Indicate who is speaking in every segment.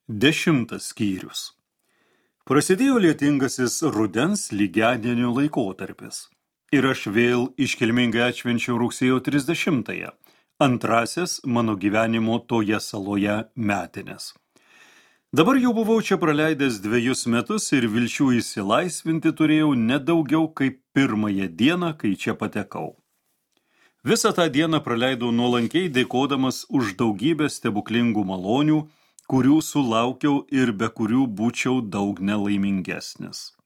Speaker 1: 10 skyrius. Prasidėjo lietingasis rudens lygiadienio laikotarpis. Ir aš vėl iškilmingai atšvenčiau rugsėjo 30-ąją, antrasis mano gyvenimo toje saloje metinės. Dabar jau buvau čia praleidęs 2 metus ir vilčių išsilaisvinti turėjau nedaugiau kaip pirmąją dieną, kai čia patekau. Visą tą dieną praleidau nuolankiai dėkodamas už daugybę stebuklingų malonių, kurių sulaukiau ir be kurių būčiau daug nelaimingesnis.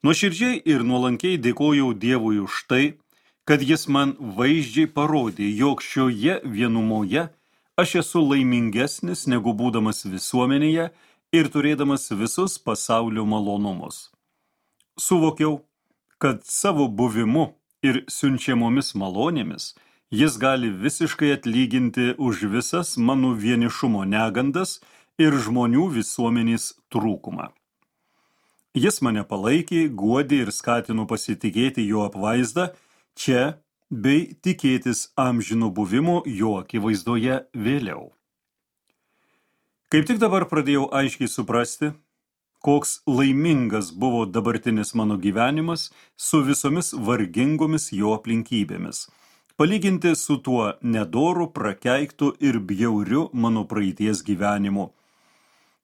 Speaker 1: Nuoširdžiai ir nuolankiai dėkojau Dievui už tai, kad jis man vaizdžiai parodė, jog šioje vienumoje aš esu laimingesnis negu būdamas visuomenėje ir turėdamas visus pasaulio malonumus. Suvokiau, kad savo buvimu ir siunčiamomis malonėmis jis gali visiškai atlyginti už visas mano vienišumo negandas ir žmonių visuomenės trūkumą. Jis mane palaikė, guodė ir skatino pasitikėti jo apvaizdą čia bei tikėtis amžino buvimo jo akivaizdoje vėliau. Kaip tik dabar pradėjau aiškiai suprasti, koks laimingas buvo dabartinis mano gyvenimas su visomis vargingomis jo aplinkybėmis, palyginti su tuo nedoru, prakeiktu ir bjauriu mano praeities gyvenimu.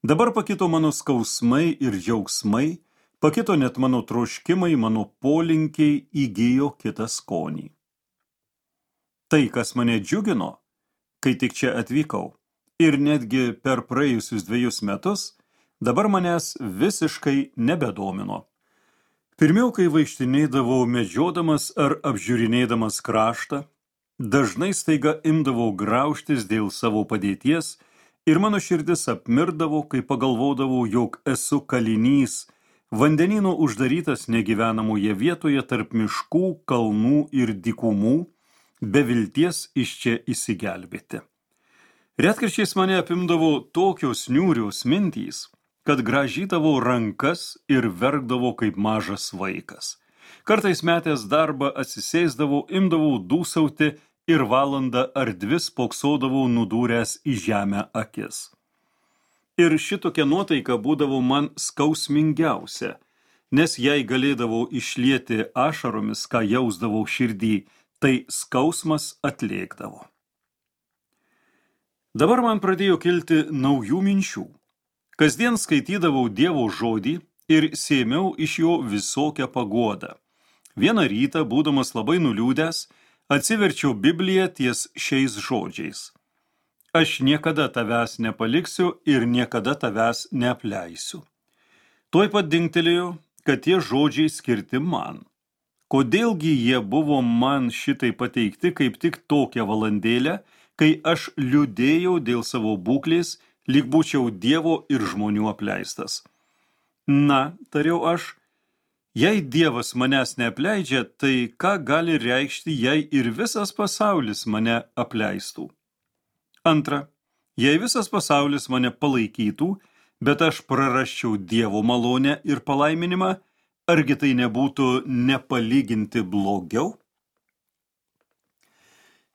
Speaker 1: Dabar pakito mano skausmai ir džiaugsmai, pakito net mano troškimai, mano polinkiai įgijo kitą skonį. Tai, kas mane džiugino, kai tik čia atvykau, ir netgi per praėjusius 2 metus, dabar manęs visiškai nebedomino. Pirmiau, kai vaikštinėdavau medžiodamas ar apžiūrinėdamas kraštą, dažnai staiga imdavau graužtis dėl savo padėties ir mano širdis apmirdavo, kai pagalvodavau, jog esu kalinys, vandenyno uždarytas negyvenamoje vietoje tarp miškų, kalnų ir dykumų, be vilties iš čia išsigelbėti. Retkarčiais mane apimdavo tokios niūrios mintys, kad grąžydavau rankas ir verkdavau kaip mažas vaikas. Kartais metęs darbą atsisėsdavau, imdavau dūsauti ir valandą ar 2 spoksodavau nudūręs į žemę akis. Ir šitokia nuotaika būdavo man skausmingiausia, nes jei galėdavau išlieti ašaromis, ką jausdavau širdį, tai skausmas atlėkdavo. Dabar man pradėjo kilti naujų minčių. Kasdien skaitydavau Dievo žodį ir sėmiau iš jo visokią paguodą. Vieną rytą, būdamas labai nuliūdęs, atsiverčiau Bibliją ties šiais žodžiais. Aš niekada tavęs nepaliksiu ir niekada tavęs neapleisiu. Tuoj pat dingtelėjo, kad tie žodžiai skirti man. Kodėlgi jie buvo man šitai pateikti kaip tik tokią valandėlę, kai aš liūdėjau dėl savo būklės, lyg būčiau Dievo ir žmonių apleistas. Na, tariau aš, jei Dievas manęs neapleidžia, tai ką gali reikšti, jei ir visas pasaulis mane apleistų? Antra, jei visas pasaulis mane palaikytų, bet aš prarasčiau Dievo malonę ir palaiminimą, argi tai nebūtų nepalyginti blogiau?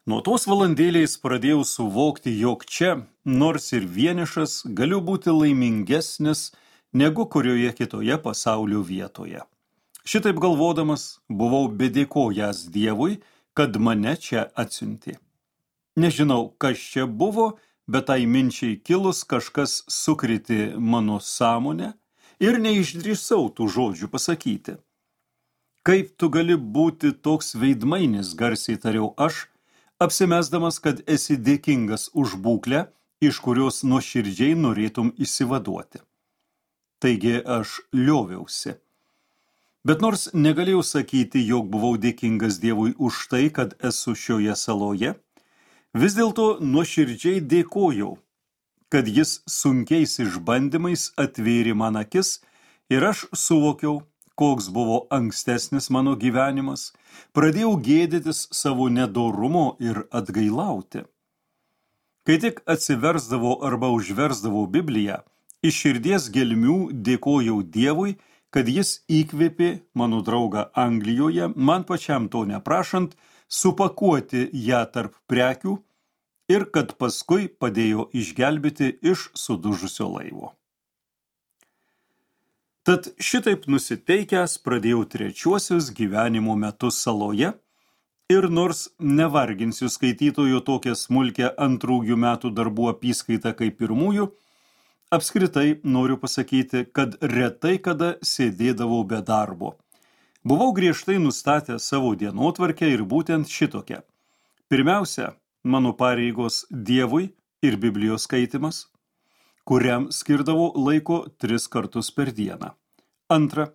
Speaker 1: Nuo tos valandėlės pradėjau suvokti, jog čia, nors ir vienišas, galiu būti laimingesnis negu kurioje kitoje pasaulio vietoje. Šitaip galvodamas, buvau bedėkojęs Dievui, kad mane čia atsiuntė. Nežinau, kas čia buvo, bet tai minčiai kilus kažkas sukrėtė mano sąmonę ir neišdrįsau tų žodžių pasakyti. Kaip tu gali būti toks veidmainis, garsiai tariau aš, apsimesdamas, kad esi dėkingas už būklę, iš kurios nuoširdžiai norėtum išsivaduoti. Taigi aš lioviausi. Bet nors negalėjau sakyti, jog buvau dėkingas Dievui už tai, kad esu šioje saloje, vis dėlto nuoširdžiai dėkojau, kad jis sunkiais išbandymais atvėrė man akis ir aš suvokiau, koks buvo ankstesnis mano gyvenimas, pradėjau gėdytis savo nedorumo ir atgailauti. Kai tik atsiversdavau arba užversdavau Bibliją, iš širdies gelmių dėkojau Dievui, kad jis įkvėpė mano draugą Anglijoje, man pačiam to neprašant, supakuoti ją tarp prekių ir kad paskui padėjo išgelbėti iš sudužusio laivo. Tad šitaip nusiteikęs pradėjau 3 gyvenimo metus saloje ir nors nevarginsiu skaitytojų tokią smulkę 2 metų darbų apyskaitą kaip 1, apskritai noriu pasakyti, kad retai kada sėdėdavau be darbo. Buvau griežtai nustatęs savo dienotvarkę ir būtent šitokią. Pirmiausia, mano pareigos Dievui ir Biblijos skaitymas, kuriam skirdavau laiko 3 kartus per dieną. Antra,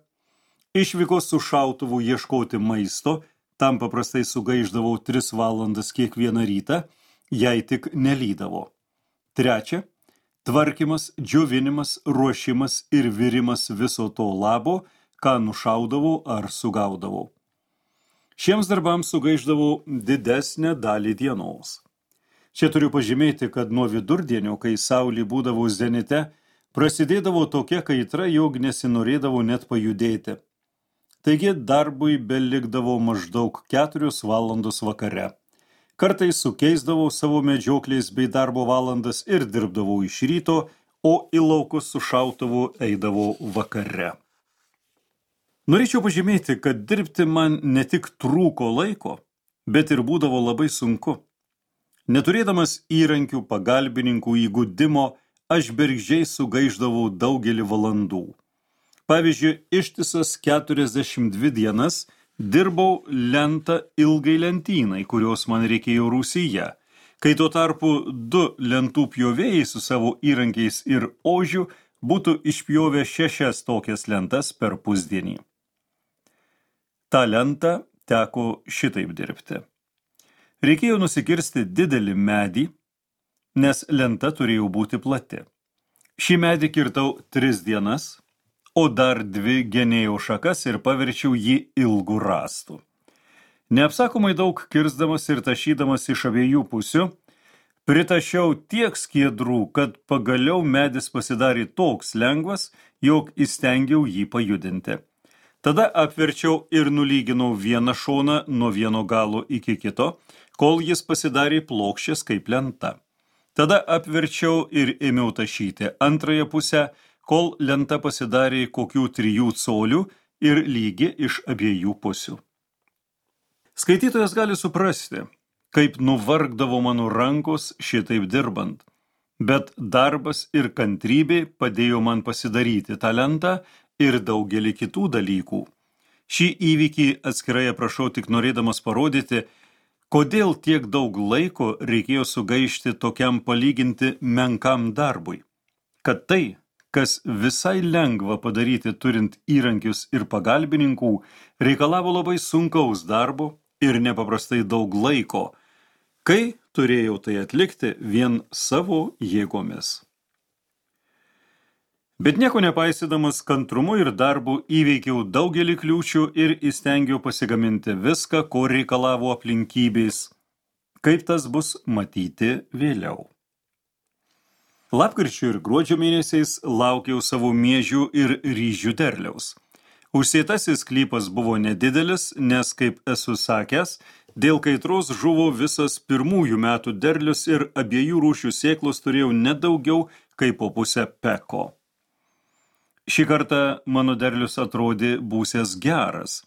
Speaker 1: išvykos su šautuvu ieškoti maisto, tam paprastai sugaišdavau 3 valandas kiekvieną rytą, jei tik nelydavo. Trečia, tvarkymas, džiovinimas, ruošimas ir virimas viso to labo, ką nušaudavau ar sugaudavau. Šiems darbams sugaišdavau didesnę dalį dienos. Čia turiu pažymėti, kad nuo vidurdienio, kai saulė būdavo zenite, prasidėdavo tokia kaitra, jog nesinorėdavo net pajudėti. Taigi darbui belikdavo maždaug 4 valandos vakare. Kartais sukeisdavau savo medžioklės bei darbo valandas ir dirbdavau iš ryto, o į laukus su šautuvu eidavau vakare. Norėčiau pažymėti, kad dirbti man ne tik trūko laiko, bet ir būdavo labai sunku. Neturėdamas įrankių, pagalbininkų, įgudimo, aš bergždžiai sugaišdavau daugelį valandų. Pavyzdžiui, ištisas 42 dienas dirbau lentą ilgai lentynai, kurios man reikėjo Rūsyje, kai tuo tarpu 2 lentų pjovėjai su savo įrankiais ir ožiu būtų išpjovę 6 tokias lentas per pusdienį. Ta lentą teko šitaip dirbti. Reikėjo nusikirsti didelį medį, nes lenta turėjo būti plati. Šį medį kirtau 3 dienas, o dar 2 genėjau šakas ir paverčiau jį ilgų rąstų. Neapsakomai daug kirsdamas ir tašydamas iš abiejų pusių, pritašiau tiek skiedrų, kad pagaliau medis pasidarė toks lengvas, jog įstengiau jį pajudinti. Tada apverčiau ir nulyginau vieną šoną nuo vieno galo iki kito, kol jis pasidarė plokščias kaip lenta. Tada apverčiau ir ėmiau tašyti antrąją pusę, kol lenta pasidarė kokių 3 colių ir lygi iš abiejų pusių. Skaitytojas gali suprasti, kaip nuvargdavo mano rankos šitaip dirbant, bet darbas ir kantrybė padėjo man pasidaryti tą lentą ir daugelį kitų dalykų. Šį įvykį atskirai aprašau tik norėdamas parodyti, kodėl tiek daug laiko reikėjo sugaišti tokiam palyginti menkam darbui. Kad tai, kas visai lengva padaryti turint įrankius ir pagalbininkų, reikalavo labai sunkaus darbo ir nepaprastai daug laiko, kai turėjau tai atlikti vien savo jėgomis. Bet nieko nepaisydamas kantrumu ir darbu įveikiau daugelį kliūčių ir įstengiau pasigaminti viską, ko reikalavo aplinkybės, kaip tas bus matyti vėliau. Lapkričio ir gruodžio mėnesiais laukiau savo miežių ir ryžių derliaus. Užsėtasis sklypas buvo nedidelis, nes, kaip esu sakęs, dėl kaitros žuvo visas 1 metų derlius ir abiejų rūšių sėklos turėjau nedaugiau kaip po pusę peko. Šį kartą mano derlius atrodė būsęs geras,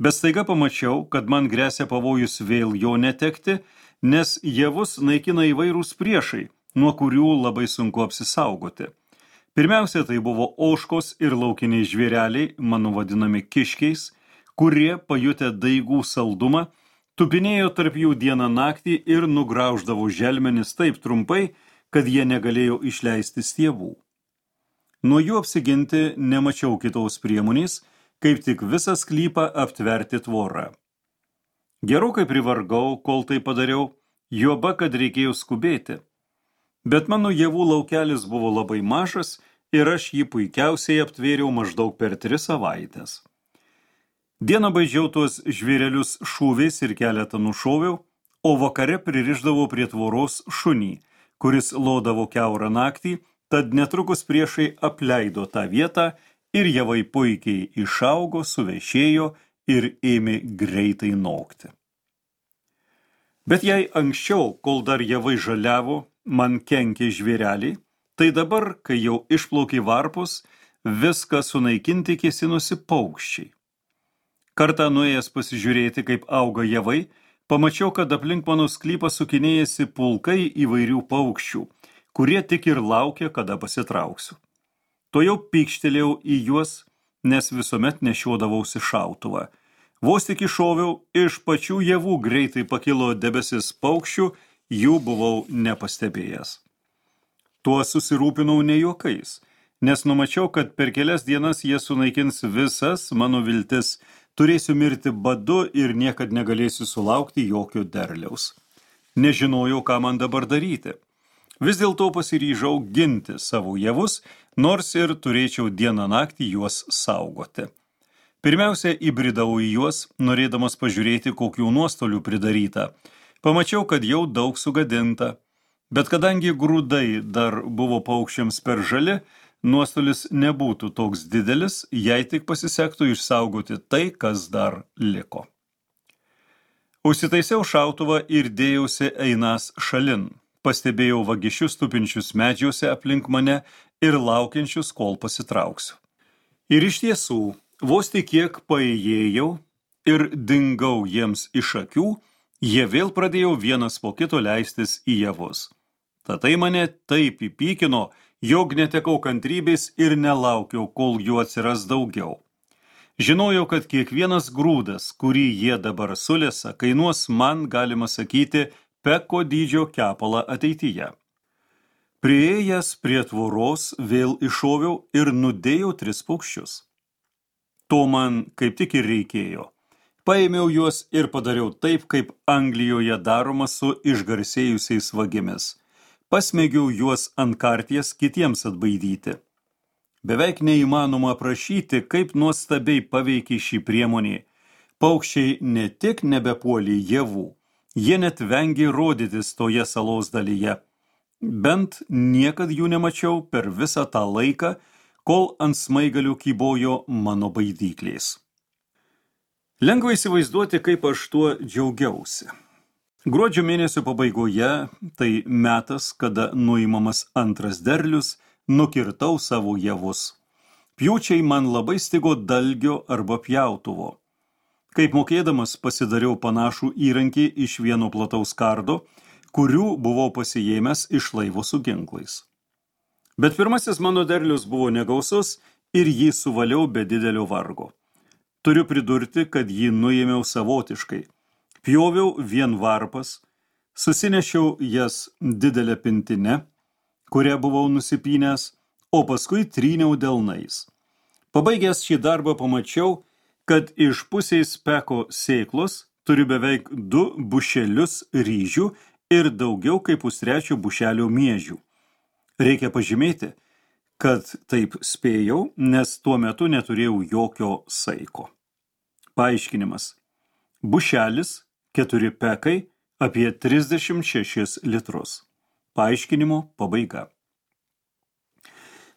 Speaker 1: bet staiga pamačiau, kad man gresia pavojus vėl jo netekti, nes javus naikina įvairūs priešai, nuo kurių labai sunku apsisaugoti. Pirmiausia, tai buvo ožkos ir laukiniai žvėreliai, mano vadinami kiškiais, kurie, pajutę daigų saldumą, tupinėjo tarp jų dieną naktį ir nugrauždavo želmenis taip trumpai, kad jie negalėjo išleisti stiebų. Nuo jų apsiginti nemačiau kitos priemonės, kaip tik visą sklypą aptverti tvorą. Gerokai privargau, kol tai padariau, juoba, kad reikėjo skubėti. Bet mano javų laukelis buvo labai mažas ir aš jį puikiausiai aptvėriau maždaug per 3 savaites. Dieną baidžiau tuos žvėrelius šūviais ir keletą nušoviau, o vakare pririšdavau prie tvoros šunį, kuris lodavo kiaurą naktį, tad netrukus priešai apleido tą vietą ir javai puikiai išaugo, suvešėjo ir ėmė greitai nokti. Bet jei anksčiau, kol dar javai žaliavo, man kenkė žvėreliai, tai dabar, kai jau išplaukė varpus, viską sunaikinti kėsinosi paukščiai. Kartą nuėjęs pasižiūrėti, kaip auga javai, pamačiau, kad aplink mano sklypą sukinėjasi pulkai įvairių paukščių, kurie tik ir laukia, kada pasitrauksiu. Tuojau pykštelėjau į juos, nes visuomet nešiodavausi šautuvą. Vos tik iššoviau, iš pačių javų greitai pakilo debesis paukščių, jų buvau nepastebėjęs. Tuo susirūpinau ne juokais, nes numačiau, kad per kelias dienas jie sunaikins visas mano viltis, turėsiu mirti badu ir niekad negalėsiu sulaukti jokio derliaus. Nežinojau, ką man dabar daryti. Vis dėlto pasiryžau ginti savo javus, nors ir turėčiau dieną naktį juos saugoti. Pirmiausia, įbridau į juos, norėdamas pažiūrėti, kokių nuostolių pridaryta. Pamačiau, kad jau daug sugadinta, bet kadangi grūdai dar buvo paukščiams per žali, nuostolis nebūtų toks didelis, jei tik pasisektų išsaugoti tai, kas dar liko. Užsitaisiau šautuvą ir dėjausi einas šalin. Pastebėjau vagišius tupinčius medžiuose aplink mane ir laukiančius, kol pasitrauksiu. Ir iš tiesų, vos tik kiek paėjėjau ir dingau jiems iš akių, jie vėl pradėjo vienas po kito leistis į javus. Tatai mane taip įpykino, jog netekau kantrybės ir nelaukiau, kol jų atsiras daugiau. Žinojau, kad kiekvienas grūdas, kurį jie dabar sulesa, kainuos man, galima sakyti, peko dydžio kepalą ateityje. Priėjęs prie tvoros vėl iššoviau ir nudėjau 3 paukščius. To man kaip tik ir reikėjo. Paėmiau juos ir padariau taip, kaip Anglijoje daroma su išgarsėjusiais vagimis. Pasmegiau juos ant karties kitiems atbaidyti. Beveik neįmanoma aprašyti, kaip nuostabiai paveikė šį priemonį. Paukščiai ne tik nebepuolė javų, jie net vengė rodytis toje salos dalyje. Bent niekad jų nemačiau per visą tą laiką, kol ant smaigalių kybojo mano baidyklės. Lengva įsivaizduoti, kaip aš tuo džiaugiausi. Gruodžio mėnesio pabaigoje, tai metas, kada nuimamas antras derlius, nukirtau savo javus. Pjūčiai man labai stigo dalgio arba pjautuvo. Kaip mokėdamas pasidariau panašų įrankį iš vieno plataus kardo, kurių buvau pasiėmęs iš laivo su ginklais. Bet pirmasis mano derlius buvo negausus ir jį suvaliau be didelio vargo. Turiu pridurti, kad jį nuėmiau savotiškai. Pjoviau vien varpas, susinešiau jas didelę pintinę, kurią buvau nusipynęs, o paskui tryniau delnais. Pabaigęs šį darbą pamačiau, kad iš pusės peko sėklos turiu beveik 2 bušelius ryžių ir daugiau kaip pustrečio bušelio miežių. Reikia pažymėti, kad taip spėjau, nes tuo metu neturėjau jokio saiko. Paaiškinimas. Bušelis 4 pekai apie 36 litrus. Paaiškinimo pabaiga.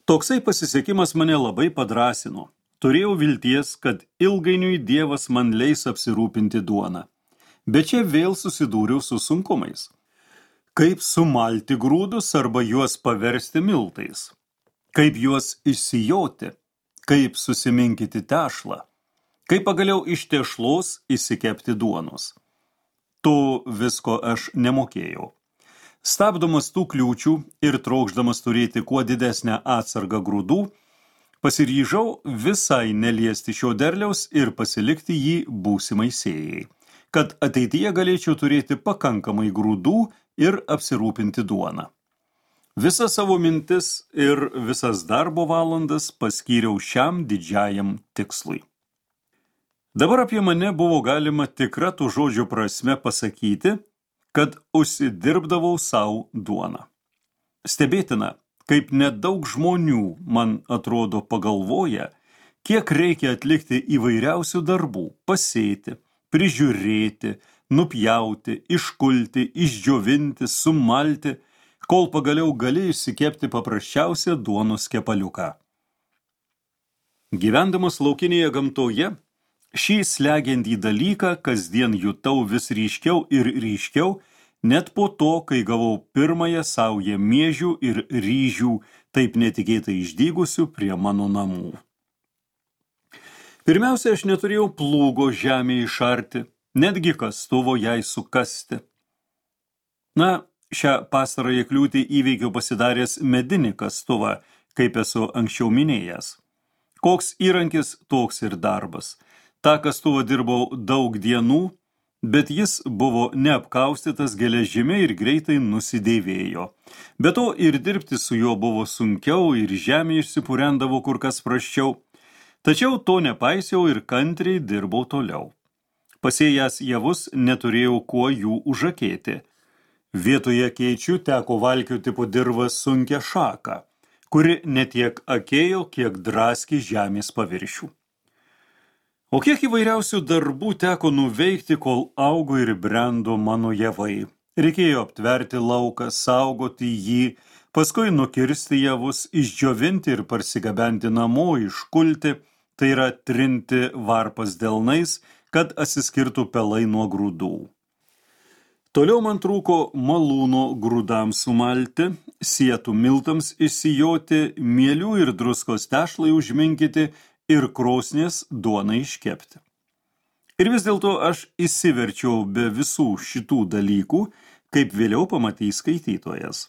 Speaker 1: Toksai pasisekimas mane labai padrasino. Turėjau vilties, kad ilgainiui Dievas man leis apsirūpinti duoną. Bet čia vėl susidūriau su sunkumais. Kaip sumalti grūdus arba juos paversti miltais? Kaip juos išsijoti? Kaip susiminkyti tešlą? Kaip pagaliau iš tešlos išsikepti duonos? To visko aš nemokėjau. Stabdomas tų kliūčių ir trokšdamas turėti kuo didesnę atsargą grūdų, pasiryžau visai neliesti šio derliaus ir pasilikti jį būsimai sėjai, kad ateityje galėčiau turėti pakankamai grūdų ir apsirūpinti duoną. Visas savo mintis ir visas darbo valandas paskyriau šiam didžiajam tikslui. Dabar apie mane buvo galima tikra tų žodžių prasme pasakyti, kad užsidirbdavau savo duoną. Stebėtina, kaip nedaug žmonių, man atrodo, pagalvoja, kiek reikia atlikti įvairiausių darbų, pasėti, prižiūrėti, nupjauti, iškulti, išdžiovinti, sumalti, kol pagaliau gali išsikepti paprasčiausią duonos kepaliuką. Gyvendamas laukinėje gamtoje, Šį slegiantį dalyką kasdien jutau vis ryškiau ir ryškiau, net po to, kai gavau pirmąją saują miežių ir ryžių, taip netikėtai išdygusių prie mano namų. Pirmiausia, aš neturėjau plūgo žemę išarti, netgi kastuvo jai sukasti. Šią pastarąją kliūtį įveikiau pasidaręs medinį kastuvą, kaip esu anksčiau minėjęs. Koks įrankis, toks ir darbas. Ta kastuvą dirbau daug dienų, bet jis buvo neapkaustytas geležimi ir greitai nusidėvėjo. Be to ir dirbti su juo buvo sunkiau ir žemė išsipurendavo kur kas prasčiau. Tačiau to nepaisiau ir kantriai dirbau toliau. Pasėjęs javus neturėjau kuo jų užakėti. Vietoje keičių teko valkioti po dirvą sunkią šaką, kuri netiek akėjo, kiek draskė žemės paviršių. O kiek įvairiausių darbų teko nuveikti, kol augo ir brendo mano javai. Reikėjo aptverti lauką, saugoti jį, paskui nukirsti javus, išdžiovinti ir parsigabenti namo, iškulti, tai yra trinti varpas delnais, kad atsiskirtų pelai nuo grūdų. Toliau man trūko malūno grūdams sumalti, sietų miltams išsijoti, mielių ir druskos tešlai užminkyti ir krosnės duonai iškepti. Ir vis dėlto aš įsiverčiau be visų šitų dalykų, kaip vėliau pamatys skaitytojas.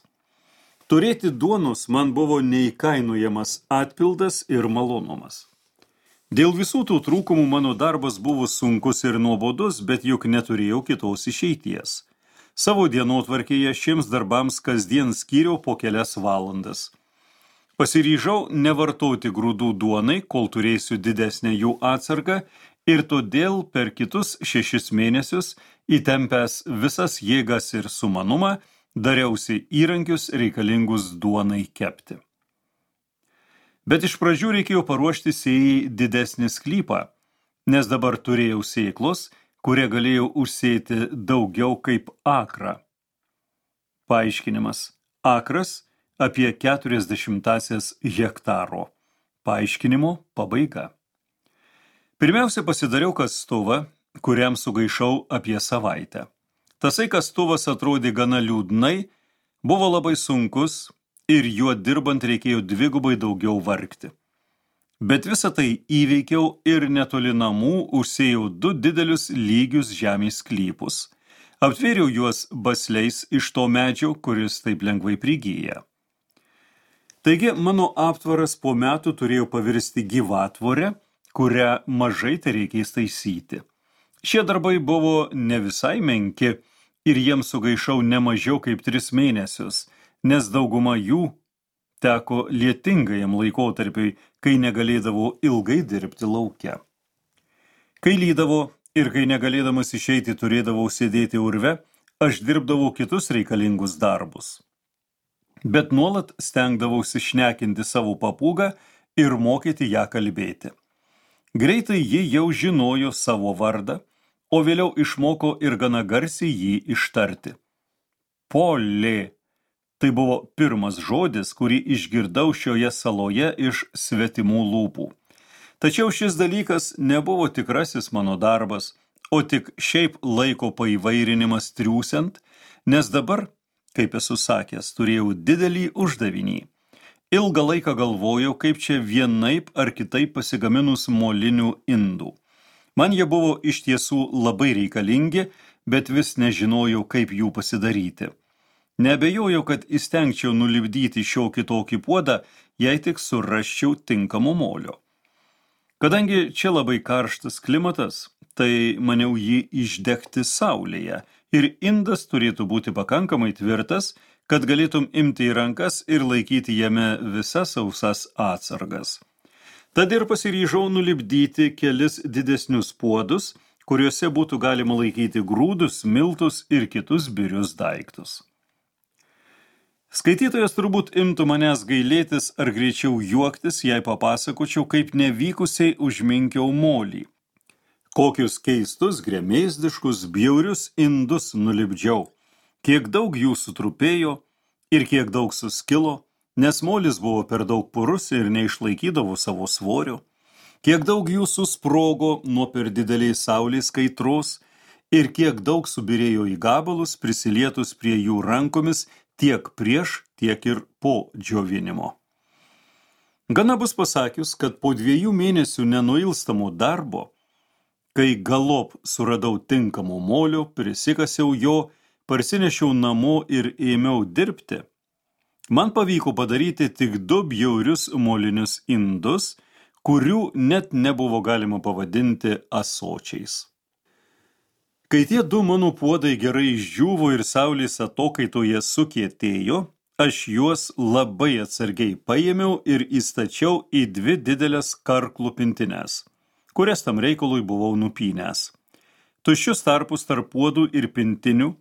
Speaker 1: Turėti duonos man buvo neįkainojamas atpildas ir malonumas. Dėl visų tų trūkumų mano darbas buvo sunkus ir nuobodus, bet juk neturėjau kitos išeities. Savo dienotvarkėje šiems darbams kasdien skyriau po kelias valandas. Pasiryžau nevartoti grūdų duonai, kol turėsiu didesnę jų atsargą, ir todėl per kitus 6 mėnesius, įtempęs visas jėgas ir sumanumą, dariausi įrankius reikalingus duonai kepti. Bet iš pradžių reikėjo paruošti sėjai didesnį sklypą, nes dabar turėjau sėklos, kurie galėjau užsėti daugiau kaip akrą. Paaiškinimas. Akras apie 40 hektaro. Paaiškinimo pabaiga. Pirmiausia, pasidariau kastuvą, kuriam sugaišau apie savaitę. Tasai kastuvas atrodė gana liūdnai, buvo labai sunkus ir juo dirbant reikėjo dvigubai daugiau vargti. Bet visą tai įveikiau ir netoli namų užsėjau 2 didelius lygius žemės sklypus. Aptvėriau juos basliais iš to medžio, kuris taip lengvai prigyja. Taigi mano aptvaras po metų turėjo pavirsti gyvatvorę, kurią mažai tereikės taisyti. Šie darbai buvo ne visai menki ir jiems sugaišau ne mažiau kaip 3 mėnesius, nes dauguma jų teko lietingajam laikotarpiui, kai negalėdavo ilgai dirbti lauke. Kai lydavo ir kai negalėdamas išeiti turėdavau sėdėti urve, aš dirbdavau kitus reikalingus darbus. Bet nuolat stengdavausi šnekinti savo papūgą ir mokyti ją kalbėti. Greitai ji jau žinojo savo vardą, o vėliau išmoko ir gana garsiai jį ištarti. Polė. Tai buvo pirmas žodis, kurį išgirdau šioje saloje iš svetimų lūpų. Tačiau šis dalykas nebuvo tikrasis mano darbas, o tik šiaip laiko paįvairinimas triūsiant, nes dabar, kaip esu sakęs, turėjau didelį uždavinį. Ilgą laiką galvojau, kaip čia vienaip ar kitaip pasigaminus molinių indų. Man jie buvo iš tiesų labai reikalingi, bet vis nežinojau, kaip jų pasidaryti. Neabejojau, kad įstengčiau nulipdyti šio kitokį puodą, jei tik surasčiau tinkamo molio. Kadangi čia labai karštas klimatas, tai maniau jį išdegti saulėje ir indas turėtų būti pakankamai tvirtas, kad galėtum imti į rankas ir laikyti jame visas sausas atsargas. Tad ir pasiryžau nulipdyti kelis didesnius puodus, kuriuose būtų galima laikyti grūdus, miltus ir kitus birius daiktus. Skaitytojas turbūt imtų manęs gailėtis ar greičiau juoktis, jei papasakočiau, kaip nevykusiai užminkiau molį. Kokius keistus, gremėzdiškus, bjaurius indus nulipdžiau, kiek daug jų sutrupėjo ir kiek daug suskilo, nes molis buvo per daug purus ir neišlaikydavo savo svorio. Kiek daug jų susprogo nuo per didelės saulės kaitros ir kiek daug subirėjo į gabalus, prisilietus prie jų rankomis tiek prieš, tiek ir po džiovinimo. Gana bus pasakius, kad po 2 mėnesių nenuilstamo darbo, kai galop suradau tinkamo molio, prisikasiau jo, parsinešiau namo ir ėmiau dirbti, man pavyko padaryti tik 2 bjaurius molinius indus, kurių net nebuvo galima pavadinti ąsočiais. Kai tie 2 mano puodai gerai išdžiūvo ir saulės atokaitoje sukietėjo, aš juos labai atsargiai paėmiau ir įstačiau į 2 didelės karklų pintines, kurias tam reikalui buvau nupynęs. Tuščius tarpus tarp puodų ir pintinių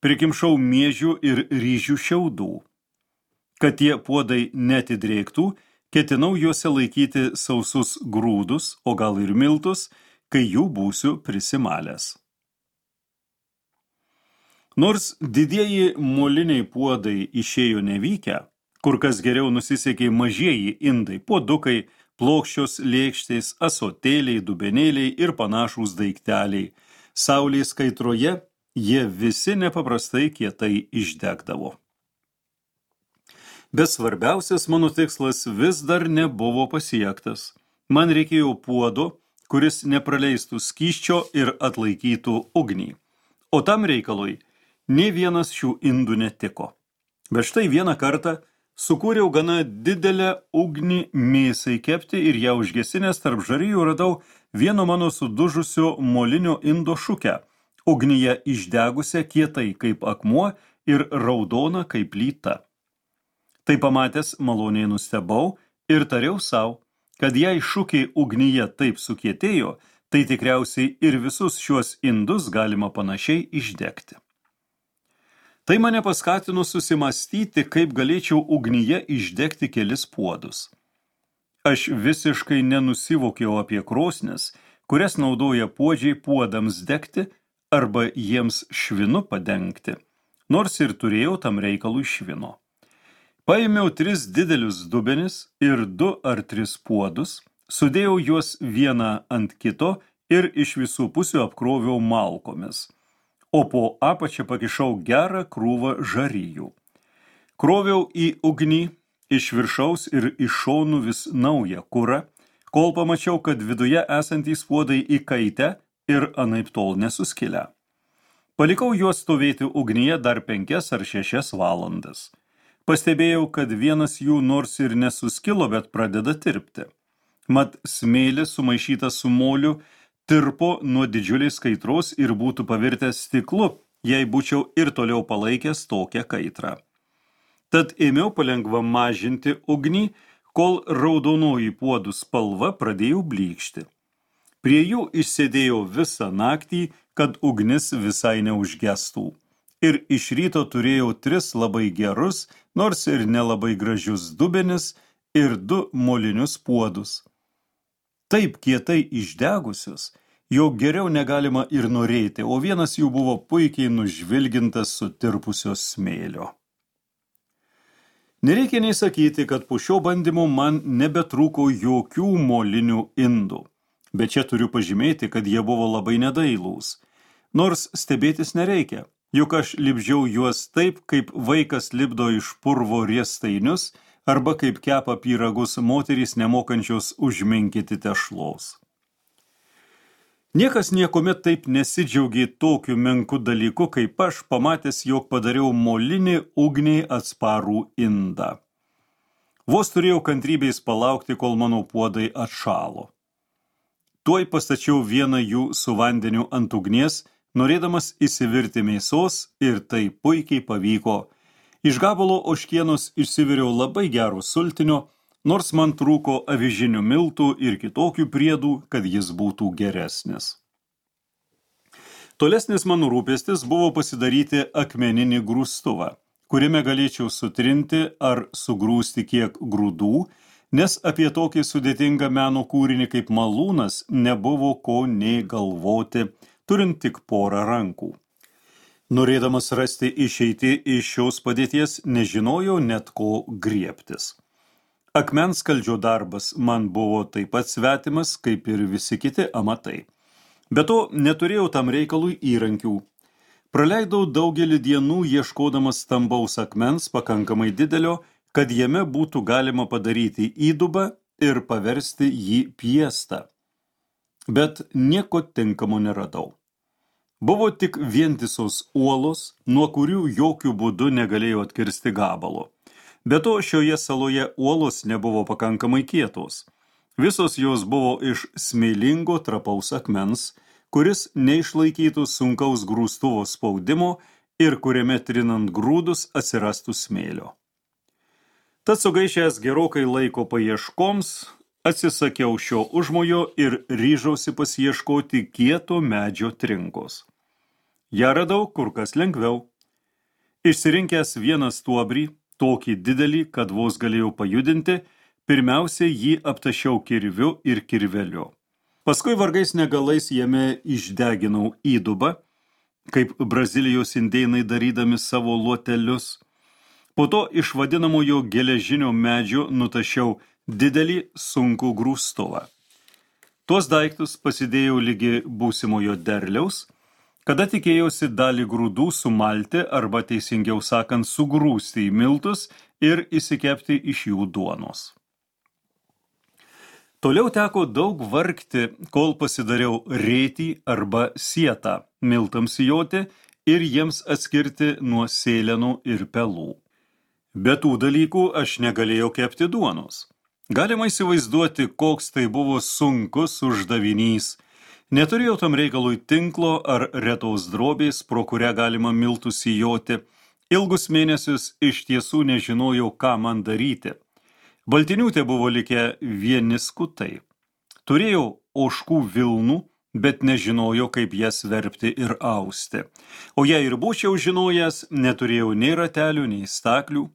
Speaker 1: prikimšau miežių ir ryžių šiaudų. Kad tie puodai netidrėktų, ketinau juose laikyti sausus grūdus, o gal ir miltus, kai jų būsiu prisimalęs. Nors didieji moliniai puodai išėjo nevykę, kur kas geriau nusisekė mažieji indai, puodukai, plokščios lėkštės, ąsotėliai, dubenėliai ir panašūs daikteliai. Saulės kaitroje jie visi nepaprastai kietai išdegdavo. Bet svarbiausias mano tikslas vis dar nebuvo pasiektas. Man reikėjo puodo, kuris nepraleistų skysčio ir atlaikytų ugnį. O tam reikalui nė vienas šių indų netiko. Bet štai vieną kartą sukūriau gana didelę ugnį mėsai kepti ir ją užgesinęs tarp žarijų radau vieno mano sudužusio molinio indo šukę, ugnyje išdegusią kietai kaip akmuo ir raudona kaip plyta. Tai pamatęs maloniai nustebau ir tariau sau, kad jei šukė ugnyje taip sukietėjo, tai tikriausiai ir visus šiuos indus galima panašiai išdegti. Tai mane paskatino susimastyti, kaip galėčiau ugnyje išdegti kelis puodus. Aš visiškai nenusivokiau apie krosnis, kurias naudoja puodžiai puodams degti arba jiems švinu padengti, nors ir turėjau tam reikalui švino. Paėmiau 3 didelius dubenis ir 2 ar 3 puodus, sudėjau juos vieną ant kito ir iš visų pusių apkroviau malkomis, o po apačią pakišau gerą krūvą žarijų. Kroviau į ugnį iš viršaus ir iš šonų vis naują kurą, kol pamačiau, kad viduje esantys puodai įkaitę ir anaiptol nesuskilę. Palikau juos stovėti ugnyje dar 5 ar 6 valandas. Pastebėjau, kad vienas jų nors ir nesuskilo, bet pradeda tirpti. Mat smėlis sumaišytas su moliu tirpo nuo didžiulės kaitros ir būtų pavirtęs stiklu, jei būčiau ir toliau palaikęs tokią kaitrą. Tad ėmiau palengva mažinti ugnį, kol raudonoji puodų spalva pradėjo blykšti. Prie jų išsėdėjau visą naktį, kad ugnis visai neužgestų. Ir iš ryto turėjau 3 labai gerus, nors ir nelabai gražius dubenis ir 2 molinius puodus. Taip kietai išdegusius, jog geriau negalima ir norėti, o vienas jų buvo puikiai nužvilgintas sutirpusio smėlio. Nereikia nei sakyti, kad po šio bandymo man nebetrūko jokių molinių indų, bet čia turiu pažymėti, kad jie buvo labai nedailūs. Nors stebėtis nereikia, juk aš lipdžiau juos taip, kaip vaikas lipdo iš purvo riestainius, arba kaip kepa pyragus moterys nemokančios užminkyti tešlos. Niekas niekuomet taip nesidžiaugė tokiu menku dalyku, kaip aš pamatęs, jog padariau molinį ugniai atsparų indą. Vos turėjau kantrybės palaukti, kol mano puodai atšalo. Tuoj pastačiau vieną jų su vandeniu ant ugnies, norėdamas įsivirti mėsos, ir tai puikiai pavyko. Iš gabalo ožkienos išsiviriau labai gero sultinio, nors man trūko avižinių miltų ir kitokių priedų, kad jis būtų geresnis. Tolesnis mano rūpestis buvo pasidaryti akmeninį grūstuvą, kuriame galėčiau sutrinti ar sugrūsti kiek grūdų, nes apie tokį sudėtingą meno kūrinį kaip malūnas nebuvo ko nei galvoti, turint tik porą rankų. Norėdamas rasti išeitį iš šios padėties, nežinojau net ko griebtis. Akmens skaldžio darbas man buvo taip pat svetimas, kaip ir visi kiti amatai. Be to, neturėjau tam reikalui įrankių. Praleidau daugelį dienų ieškodamas stambaus akmens pakankamai didelio, kad jame būtų galima padaryti įdubą ir paversti jį piestą. Bet nieko tinkamo neradau. Buvo tik vientisos uolos, nuo kurių jokių būdų negalėjau atkirsti gabalo. Be to, šioje saloje uolos nebuvo pakankamai kietos. Visos jos buvo iš smėlingo trapaus akmens, kuris neišlaikytų sunkaus grūstuvo spaudimo ir kuriame trinant grūdus atsirastų smėlio. Tad sugaišęs gerokai laiko paieškoms, atsisakiau šio užmojo ir ryžausi pasiieškoti kieto medžio trinkos. Ja radau kur kas lengviau. Išsirinkęs vieną stuobrį, tokį didelį, kad vos galėjau pajudinti, pirmiausia jį aptašiau kirviu ir kirveliu. Paskui vargais negalais jame išdeginau įdubą, kaip Brazilijos indėnai darydami savo luotelius. Po to iš vadinamojo geležinio medžio nutašiau didelį sunkų grūstuvą. Tuos daiktus pasidėjau lygi būsimojo derliaus, kada tikėjausi dalį grūdų sumalti arba teisingiau sakant sugrūsti į miltus ir įsikepti iš jų duonos. Toliau teko daug vargti, kol pasidariau rėtį arba sietą miltams sijoti ir jiems atskirti nuo sėlenų ir pelų. Be tų dalykų aš negalėjau kepti duonos. Galima įsivaizduoti, koks tai buvo sunkus uždavinys. Neturėjau tam reikalui tinklo ar retos drobės, pro kurią galima miltus sijoti. Ilgus mėnesius iš tiesų nežinojau, ką man daryti. Baltinių te buvo likę vieni skutai. Turėjau ožkų vilnų, bet nežinojau, kaip jas verpti ir austi. O jei ir būčiau žinojęs, neturėjau nei ratelių, nei staklių.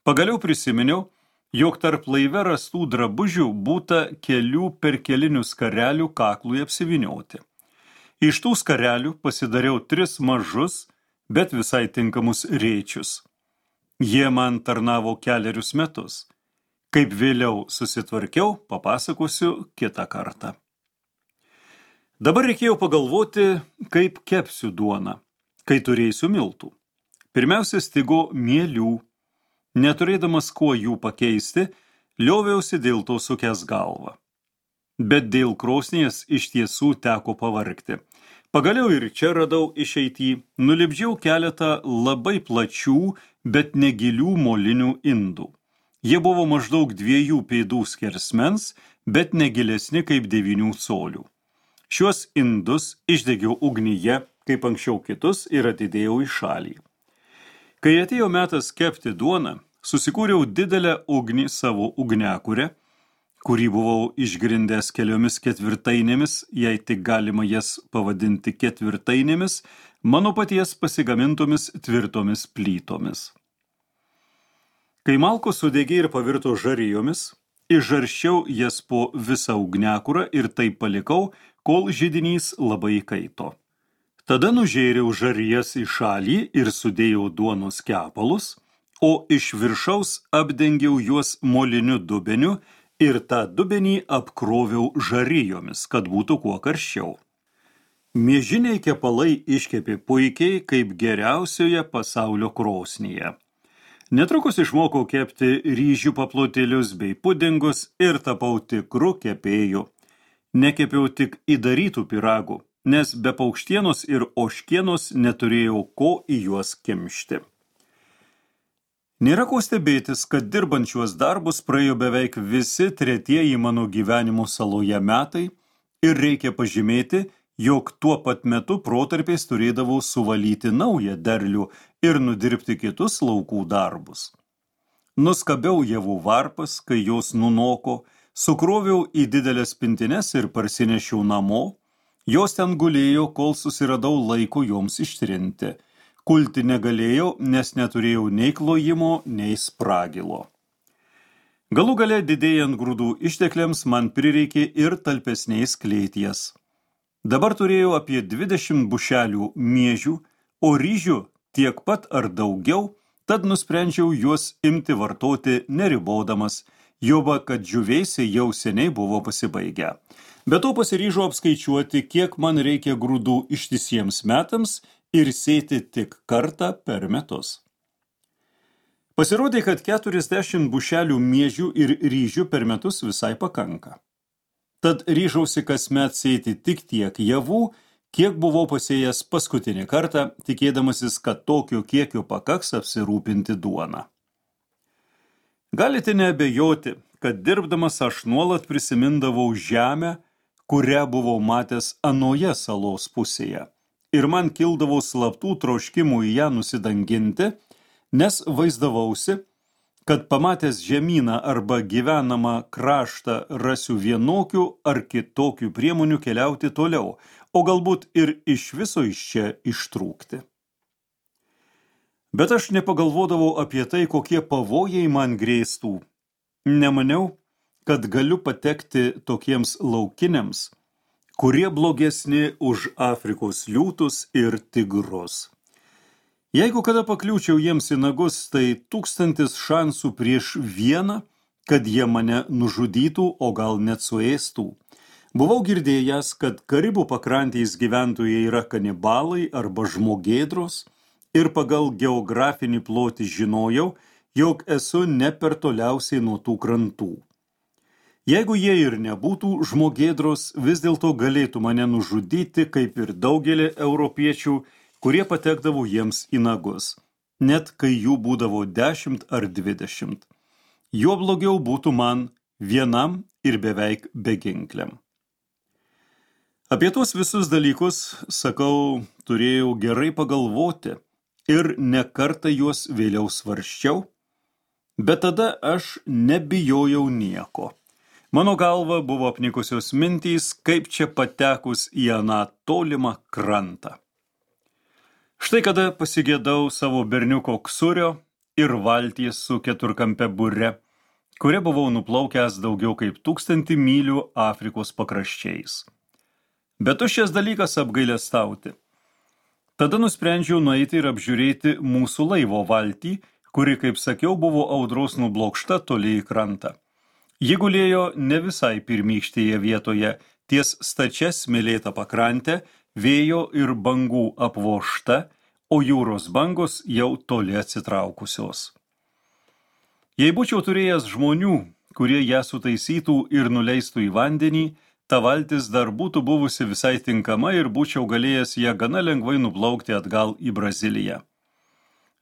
Speaker 1: Pagaliau prisiminiau, jog tarp laive rastų drabužių būta kelių perkelinių skarelių kaklui apsivinioti. Iš tų skarelių pasidariau 3 mažus, bet visai tinkamus rėčius. Jie man tarnavo 4 metus. Kaip vėliau susitvarkiau, papasakosiu kitą kartą. Dabar reikėjo pagalvoti, kaip kepsiu duoną, kai turėsiu miltų. Pirmiausia, stigo mielių. Neturėdamas kuo jų pakeisti, lioviausi dėl to sukęs galvą. Bet dėl krosnies iš tiesų teko pavargti. Pagaliau ir čia radau išeitį, nulipdžiau keletą labai plačių, bet negilių molinių indų. Jie buvo maždaug 2 pėdų skersmens, bet negilesni kaip 9 colių. Šiuos indus išdegiau ugnyje, kaip anksčiau kitus, ir atidėjau į šalį. Kai atėjo metas kepti duoną, susikūriau didelę ugnį savo ugniakurę, kurį buvau išgrindęs keliomis ketvirtainėmis, jei tik galima jas pavadinti ketvirtainėmis, mano paties pasigamintomis tvirtomis plytomis. Kai malkos sudegė ir pavirto žarijomis, išžarščiau jas po visą ugniakurą ir taip palikau, kol židinys labai kaito. Tada nužėriau žarijas į šalį ir sudėjau duonos kepalus, o iš viršaus apdengiau juos moliniu dubeniu ir tą dubenį apkroviau žarijomis, kad būtų kuo karščiau. Miežiniai kepalai iškepė puikiai, kaip geriausioje pasaulio krosnyje. Netrukus išmokau kepti ryžių paplotėlius bei pudingus ir tapau tikru kepėju. Nekepiau tik įdarytų pyragų, nes be paukštienos ir ožkienos neturėjau ko į juos kimšti. Nėra ko stebėtis, kad dirbant šiuos darbus praėjo beveik visi 3 mano gyvenimo saloje metai ir reikia pažymėti, jog tuo pat metu protarpiais turėdavau suvalyti naują derlių ir nudirbti kitus laukų darbus. Nuskabiau javų varpas, kai jos nunoko, sukroviau į didelės pintines ir parsinešiau namo, jos ten gulėjo, kol susiradau laiko joms ištrinti. Kulti negalėjau, nes neturėjau nei klojimo, nei spragilo. Galų gale didėjant grūdų ištekliams man prireikė ir talpesnės klėties. Dabar turėjau apie 20 bušelių miežių, o ryžių tiek pat ar daugiau, tad nusprendžiau juos imti vartoti neribodamas, juoba, kad džiūvėsiai jau seniai buvo pasibaigę. Be to pasiryžau apskaičiuoti, kiek man reikia grūdų ištisiems metams ir sėti tik kartą per metus. Pasirodė, kad 40 bušelių miežių ir ryžių per metus visai pakanka. Tad ryžausi kasmet sėti tik tiek javų, kiek buvau pasėjęs paskutinį kartą, tikėdamasis, kad tokio kiekio pakaks apsirūpinti duoną. Galite neabejoti, kad dirbdamas aš nuolat prisimindavau žemę, kurią buvau matęs anoje salos pusėje, ir man kildavo slaptų troškimų į ją nusidanginti, nes vaizdavausi, kad pamatęs žemyną arba gyvenamą kraštą rasiu vienokių ar kitokių priemonių keliauti toliau, o galbūt ir iš viso iš čia ištrūkti. Bet aš nepagalvodavau apie tai, kokie pavojai man grėstų. Nemaniau, kad galiu patekti tokiems laukiniams, kurie blogesni už Afrikos liūtus ir tigrus. Jeigu kada pakliūčiau jiems į nagus, tai 1000 šansų prieš vieną, kad jie mane nužudytų, o gal net suėstų. Buvau girdėjęs, kad Karibų pakrantės gyventojai yra kanibalai arba žmogėdros ir pagal geografinį plotį žinojau, jog esu ne per toliausiai nuo tų krantų. Jeigu jie ir nebūtų žmogėdros, vis dėlto galėtų mane nužudyti, kaip ir daugelį europiečių, kurie patekdavo jiems į nagus, net kai jų būdavo 10 ar 20. Jo blogiau būtų man vienam ir beveik beginkliam. Apie tuos visus dalykus, sakau, turėjau gerai pagalvoti ir ne kartą juos vėliau svarsčiau, bet tada aš nebijojau nieko. Mano galva buvo apnikusios mintys, kaip čia patekus į aną tolimą krantą. Štai kada pasigėdau savo berniuko ksurio ir valties su keturkampe bure, kuria buvau nuplaukęs daugiau kaip 1000 mylių Afrikos pakraščiais. Bet tuščias dalykas apgailestauti. Tada nusprendžiau nueiti ir apžiūrėti mūsų laivo valtį, kuri, kaip sakiau, buvo audros nublokšta toli į krantą. Ji gulėjo ne visai pirmykštėje vietoje, ties stačia smėlėta pakrantė, vėjo ir bangų apvožta, o jūros bangos jau toli atsitraukusios. Jei būčiau turėjęs žmonių, kurie ją sutaisytų ir nuleistų į vandenį, ta valtis dar būtų buvusi visai tinkama ir būčiau galėjęs ją gana lengvai nuplaukti atgal į Braziliją.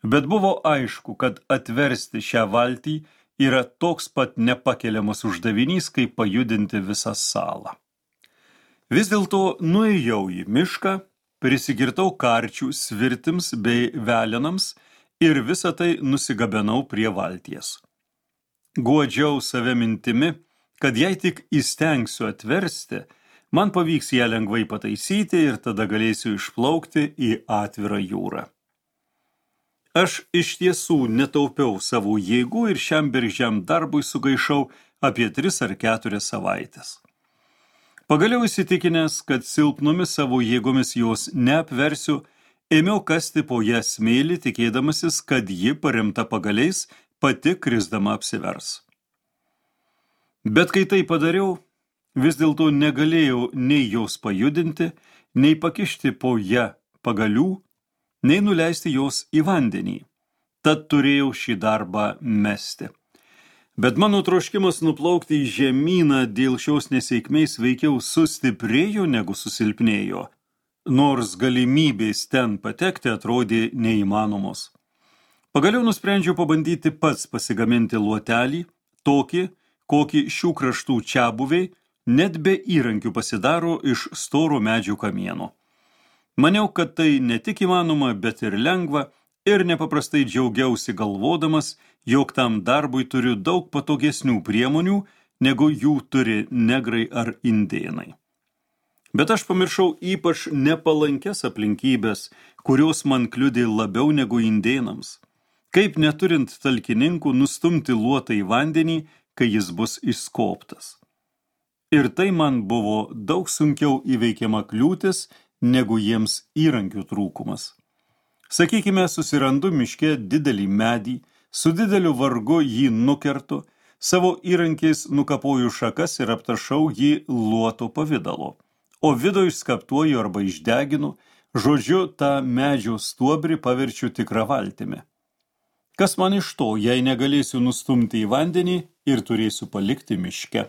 Speaker 1: Bet buvo aišku, kad atversti šią valtį yra toks pat nepakeliamas uždavinys, kaip pajudinti visą salą. Vis dėlto nuėjau į mišką, prisigirtau karčių svirtims bei velenams ir visą tai nusigabenau prie valties. Guodžiau save mintimi, kad jei tik įstengsiu atversti, man pavyks ją lengvai pataisyti ir tada galėsiu išplaukti į atvirą jūrą. Aš iš tiesų netaupiau savo jėgų ir šiam bergždžiam darbui sugaišau apie 3 ar 4 savaitės. Pagaliau įsitikinęs, kad silpnomis savo jėgomis jos neapversiu, ėmiau kasti po ją smėlį, tikėdamasis, kad ji paremta pagaliais pati krisdama apsivers. Bet kai tai padariau, vis dėlto negalėjau nei jos pajudinti, nei pakišti po ją pagalių, nei nuleisti jos į vandenį. Tad turėjau šį darbą mesti. Bet mano troškimas nuplaukti į žemyną dėl šios nesėkmės veikiau sustiprėjo negu susilpnėjo, nors galimybės ten patekti atrodė neįmanomos. Pagaliau nusprendžiau pabandyti pats pasigaminti luotelį, tokį, kokį šių kraštų čiabuviai net be įrankių pasidaro iš storo medžių kamieno. Maniau, kad tai ne tik įmanoma, bet ir lengva, ir nepaprastai džiaugiausi galvodamas, jog tam darbui turiu daug patogesnių priemonių, negu jų turi negrai ar indėnai. Bet aš pamiršau ypač nepalankes aplinkybės, kurios man kliudė labiau negu indėnams. Kaip neturint talkininkų nustumti luotą į vandenį, kai jis bus išskobtas. Ir tai man buvo daug sunkiau įveikiama kliūtis, negu jiems įrankių trūkumas. Sakykime, susirandu miške didelį medį, su dideliu vargu jį nukertu, savo įrankiais nukapoju šakas ir aptašau jį luoto pavidalo, o vidų išskaptuoju arba išdeginu, žodžiu, tą medžio stuobrį paverčiu tikrą valtimi. Kas man iš to, jei negalėsiu nustumti į vandenį ir turėsiu palikti miške?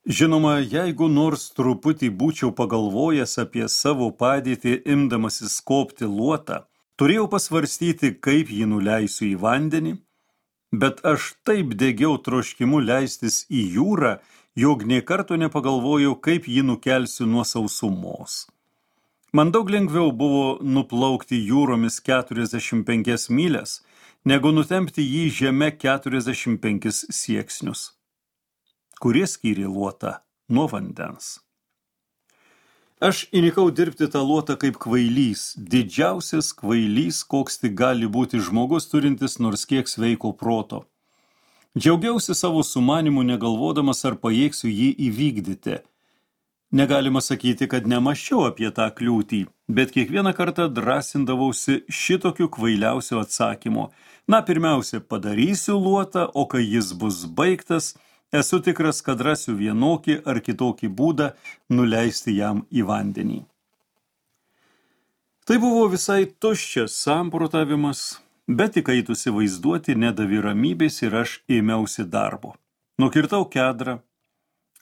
Speaker 1: Žinoma, jeigu nors truputį būčiau pagalvojęs apie savo padėtį imdamasis skobti luotą, turėjau pasvarstyti, kaip jį nuleisiu į vandenį, bet aš taip degiau troškimu leistis į jūrą, jog nė karto nepagalvojau, kaip jį nukelsiu nuo sausumos. Man daug lengviau buvo nuplaukti jūromis 45 mylias, negu nutempti jį žeme 45 sieksnius. Kurie skyrė luotą nuo vandens? Aš įnikau dirbti tą luotą kaip kvailys, didžiausias kvailys, koks tik gali būti žmogus turintis nors kiek sveiko proto. Džiaugiausi savo sumanimu, negalvodamas, ar pajėgsiu jį įvykdyti. Negalima sakyti, kad nemaščiau apie tą kliūtį, bet kiekvieną kartą drąsindavausi šitokiu kvailiausiu atsakymu. Pirmiausia, padarysiu luotą, o kai jis bus baigtas, esu tikras, kad rasiu vienokį ar kitokį būdą nuleisti jam į vandenį. Tai buvo visai tuščias samprotavimas, bet įkaitusi vaizduoti nedavė ramybės ir aš ėmiausi darbo. Nukirtau kedrą,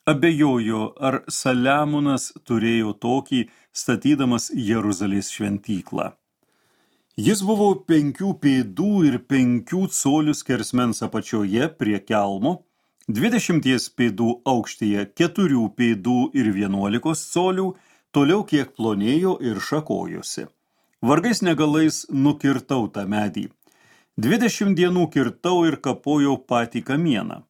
Speaker 1: abejojo, ar Saliamonas turėjo tokį, statydamas Jeruzalės šventyklą. Jis buvo 5 pėdų ir 5 colių skersmens apačioje prie kelmo, 20 pėdų aukštyje, 4 pėdų ir 11 colių, toliau kiek plonėjo ir šakojosi. Vargais negalais nukirtau tą medį. 20 dienų kirtau ir kapojau patį kamieną.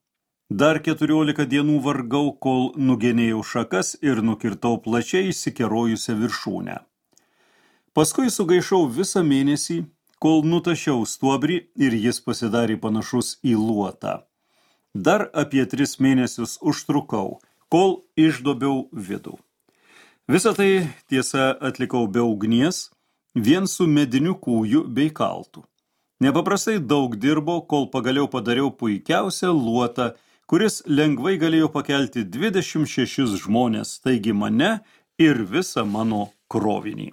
Speaker 1: Dar 14 dienų vargau, kol nugenėjau šakas ir nukirtau plačiai išsikerojusią viršūnę. Paskui sugaišau visą mėnesį, kol nutašiau stuobrį ir jis pasidarė panašus į luotą. Dar apie 3 mėnesius užtrukau, kol išdobiau vidų. Visą tai, tiesa, atlikau be ugnies, vien su mediniu kūju bei kaltu. Nepaprastai daug dirbo, kol pagaliau padariau puikiausią luotą, kuris lengvai galėjo pakelti 26 žmonės, taigi mane ir visą mano krovinį.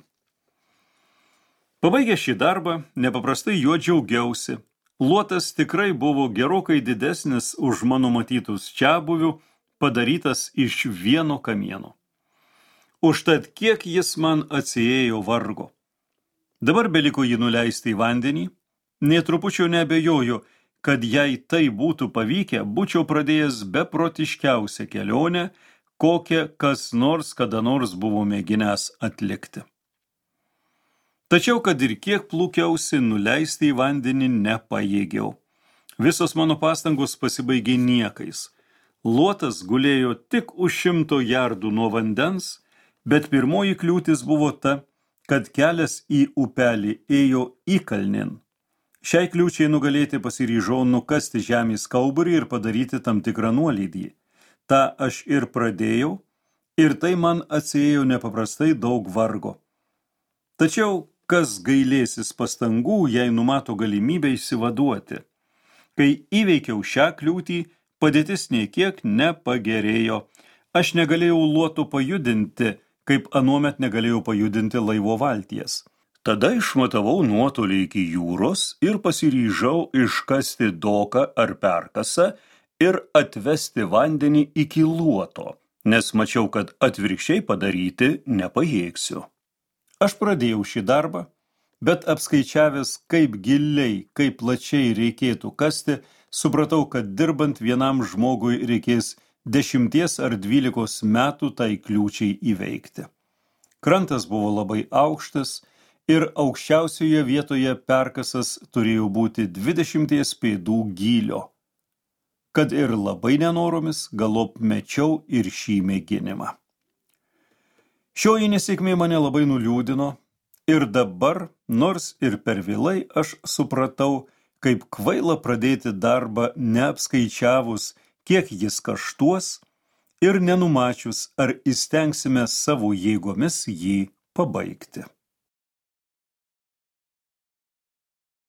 Speaker 1: Pabaigę šį darbą, nepaprastai juo džiaugiausi. Luotas tikrai buvo gerokai didesnis už mano matytus čiabuvių, padarytas iš vieno kamieno. Užtat kiek jis man atsiėjo vargo. Dabar beliko jį nuleisti į vandenį, nė trupučio neabejoju, kad jei tai būtų pavykę, būčiau pradėjęs beprotiškiausią kelionę, kokią kas nors kada nors buvo mėginęs atlikti. Tačiau, kad ir kiek plūkiausi, nuleisti į vandenį nepajėgiau. Visos mano pastangos pasibaigė niekais. Luotas gulėjo tik už 100 jardų nuo vandens, bet pirmoji kliūtis buvo ta, kad kelias į upelį ėjo įkalnin. Šiai kliūčiai nugalėti pasiryžau nukasti žemės kauburį ir padaryti tam tikrą nuolydį. Ta aš ir pradėjau, ir tai man atsiėjo nepaprastai daug vargo. Tačiau kas gailėsis pastangų, jei numato galimybę išsivaduoti? Kai įveikiau šią kliūtį, padėtis nė kiek nepagerėjo. Aš negalėjau luoto pajudinti, kaip anuomet negalėjau pajudinti laivo valties. Tada išmatavau nuotolį iki jūros ir pasiryžau iškasti doką ar perkasą ir atvesti vandenį iki luoto, nes mačiau, kad atvirkščiai padaryti nepajėgsiu. Aš pradėjau šį darbą, bet apskaičiavęs, kaip giliai, kaip plačiai reikėtų kasti, supratau, kad dirbant vienam žmogui reikės 10 ar 12 metų tai kliūčiai įveikti. Krantas buvo labai aukštas ir aukščiausioje vietoje perkasas turėjo būti 20 pėdų gylio. Kad ir labai nenoromis, galop mečiau ir šį mėginimą. Šioji nesėkmė mane labai nuliūdino ir dabar, nors ir per vėlai, aš supratau, kaip kvaila pradėti darbą neapskaičiavus, kiek jis kaštuos ir nenumačius, ar įstengsime savo jėgomis jį pabaigti.